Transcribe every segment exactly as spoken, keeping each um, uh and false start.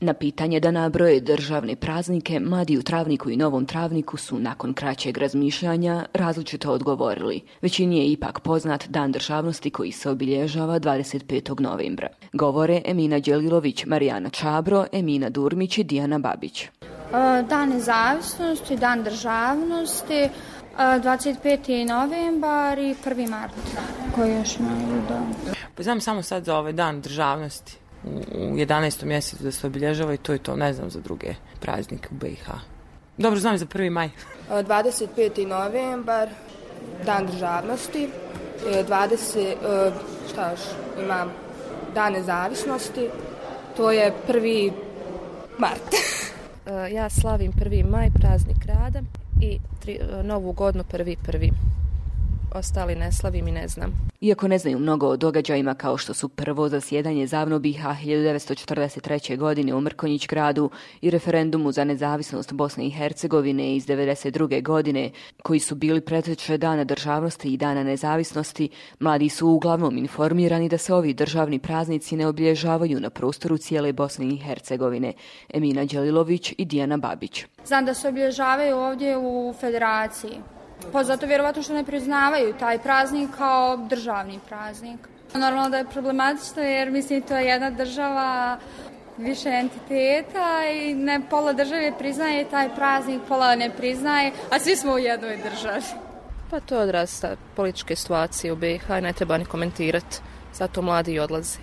Na pitanje da nabroje državne praznike, mladi u Travniku i Novom Travniku su nakon kraćeg razmišljanja različito odgovorili. Većini je ipak poznat Dan državnosti koji se obilježava dvadeset petog novembra. Govore Emina Đelilović, Marijana Čabro, Emina Durmić i Dijana Babić. Dan nezavisnosti, Dan državnosti, dvadeset peti novembar i prvi mart. Koji još imaju dan? Pa znam samo sad za ovaj Dan državnosti. U jedanaestom mjesecu da se obilježava i to je to, ne znam za druge praznike u be i ha. Dobro, znam i za prvi maj. dvadeset peti novembar, Dan državnosti, dvadeset, šta još imam, Dan nezavisnosti, to je prvi mart. Ja slavim prvi maj, praznik rada i tri, novu godinu prvi prvi. Ostali ne slavim i ne znam. Iako ne znaju mnogo o događajima kao što su prvo zasjedanje ZAVNO be i ha hiljadu devetsto četrdeset treće. godine u Mrkonjić gradu i referendumu za nezavisnost Bosne i Hercegovine iz devedeset druge. godine, koji su bili preteča Dana državnosti i Dana nezavisnosti, mladi su uglavnom informirani da se ovi državni praznici ne obilježavaju na prostoru cijele Bosne i Hercegovine. Emina Đelilović i Dijana Babić. Znam da se obilježavaju ovdje u Federaciji. Pa zato vjerovatno što ne priznavaju taj praznik kao državni praznik. Normalno da je problematično jer mislim to je jedna država, više entiteta i ne pola države priznaje taj praznik, pola ne priznaje, a svi smo u jednoj državi. Pa to je odraz političke situacije u be i ha i ne treba ni komentirati, zato mladi i odlaze.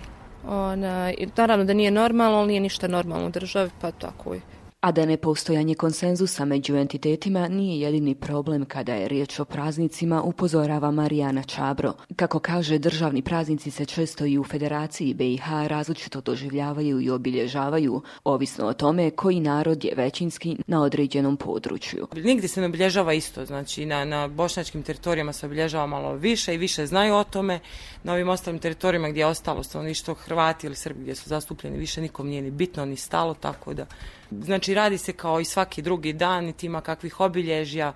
Ona, naravno da nije normalno, ali nije ništa normalno u državi, pa tako je. A da nepostojanje konsenzusa među entitetima nije jedini problem kada je riječ o praznicima, upozorava Marijana Čabro. Kako kaže, državni praznici se često i u Federaciji be i ha različito doživljavaju i obilježavaju, ovisno o tome koji narod je većinski na određenom području. Nigdje se ne obilježava isto, znači na, na bošnjačkim teritorijama se obilježava malo više i više znaju o tome. Na ovim ostalim teritorijama gdje je ostalo stanovništvo, Hrvati ili Srbi gdje su zastupljeni, više nikom nije ni bitno ni stalo, tako da znači radi se kao i svaki drugi dan, niti ima kakvih obilježja,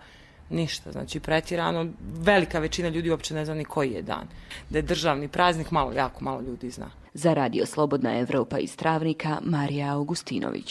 ništa. Znači pretjerano, velika većina ljudi uopće ne zna ni koji je dan. Da je državni praznik, malo, jako malo ljudi zna. Za Radio Slobodna Evropa iz Travnika, Marija Augustinović.